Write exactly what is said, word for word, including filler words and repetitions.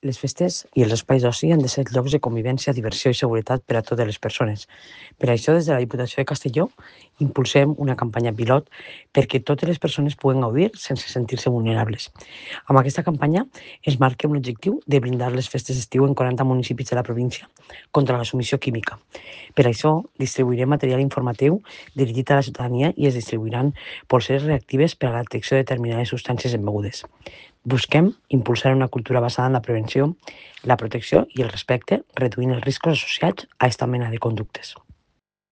Les festes i els espais d'oci han de ser llocs de convivència, diversió i seguretat per a totes les persones. Per això, des de la Diputació de Castelló, impulsem una campanya pilot perquè totes les persones puguen gaudir sense sentir-se vulnerables. Amb aquesta campanya es marca un objectiu de blindar les festes d'estiu en quaranta municipis de la província contra la submissió química. Per això, distribuirem material informatiu dirigit a la ciutadania i es distribuiran polseres reactives per a la detecció de determinades substàncies en begudes. Busquem impulsar una cultura basada en la prevenció, la protecció i el respecte, reduint els riscos associats a aquesta mena de conductes.